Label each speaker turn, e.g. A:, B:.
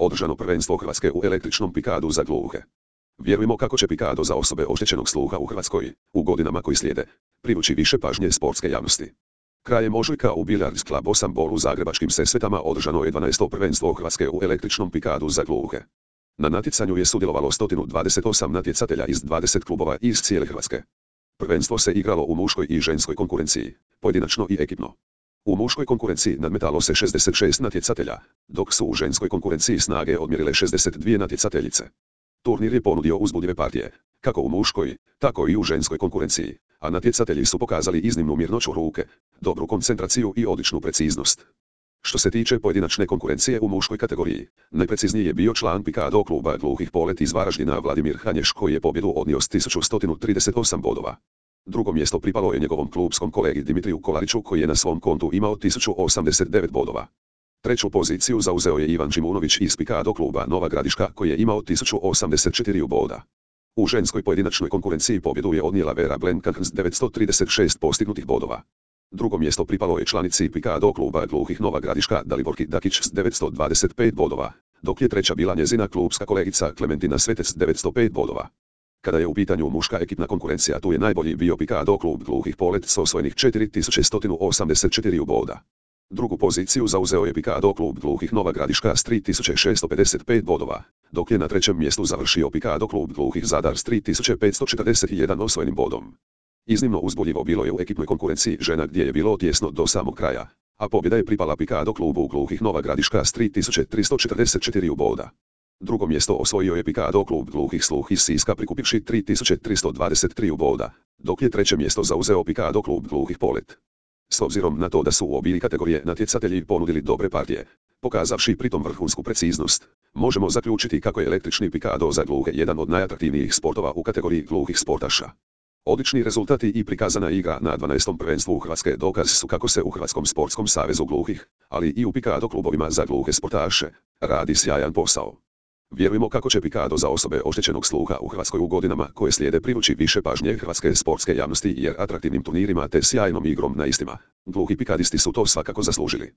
A: Održano prvenstvo Hrvatske u električnom pikadu za gluhe. Vjerujemo kako će pikado za osobe oštećenog sluha u Hrvatskoj, u godinama koji slijede, privući više pažnje sportske javnosti. Krajem ožujka u Billiards Club 8 Ball u zagrebačkim Sesvetama održano je 12. prvenstvo Hrvatske u električnom pikadu za gluhe. Na natjecanju je sudjelovalo 128 natjecatelja iz 20 klubova iz cijele Hrvatske. Prvenstvo se igralo u muškoj i ženskoj konkurenciji, pojedinačno i ekipno. U muškoj konkurenciji nadmetalo se 66 natjecatelja, dok su u ženskoj konkurenciji snage odmjerile 62 natjecateljice. Turnir je ponudio uzbudljive partije, kako u muškoj, tako i u ženskoj konkurenciji, a natjecatelji su pokazali iznimnu mirnoću ruke, dobru koncentraciju i odličnu preciznost. Što se tiče pojedinačne konkurencije u muškoj kategoriji, najprecizniji je bio član pikado kluba gluhih Polet iz Varaždina Vladimir Hanješ koji je pobjedu odnio s 1138 bodova. Drugo mjesto pripalo je njegovom klubskom kolegi Dimitriju Kolariću koji je na svom kontu imao 1089 bodova. Treću poziciju zauzeo je Ivan Čimunović iz pikado kluba Nova Gradiška koji je imao 1084 boda. U ženskoj pojedinačnoj konkurenciji pobjedu je odnijela Vera Blenkan s 936 postignutih bodova. Drugo mjesto pripalo je članici pikado kluba gluhih Nova Gradiška Daliborki Dakić s 925 bodova, dok je treća bila njezina klubska kolegica Klementina Svetec s 905 bodova. Kada je u pitanju muška ekipna konkurencija, tu je najbolji bio pikado klub gluhih Polet s osvojenih 4184 boda. Drugu poziciju zauzeo je pikado klub gluhih Nova Gradiška s 3655 bodova, dok je na trećem mjestu završio pikado klub gluhih Zadar s 3541 osvojenim bodom. Iznimno uzbudljivo bilo je u ekipnoj konkurenciji žena gdje je bilo tjesno do samog kraja, a pobjeda je pripala pikado klubu gluhih Nova Gradiška s 3344 boda. Drugo mjesto osvojio je pikado klub gluhih Sluh iz Siska prikupivši 3323 boda, dok je treće mjesto zauzeo pikado klub gluhih Polet. S obzirom na to da su u obje kategorije natjecatelji ponudili dobre partije, pokazavši pritom vrhunsku preciznost, možemo zaključiti kako je električni pikado za gluhe jedan od najatraktivnijih sportova u kategoriji gluhih sportaša. Odlični rezultati i prikazana igra na 12. prvenstvu Hrvatske dokaz su kako se u Hrvatskom sportskom savezu gluhih, ali i u pikado klubovima za gluhe sportaše, radi sjajan posao. Vjerujemo kako će pikado za osobe oštećenog sluha u Hrvatskoj u godinama koje slijede privući više pažnje hrvatske sportske javnosti jer atraktivnim turnirima te sjajnom igrom na istima, gluhi pikadisti su to svakako zaslužili.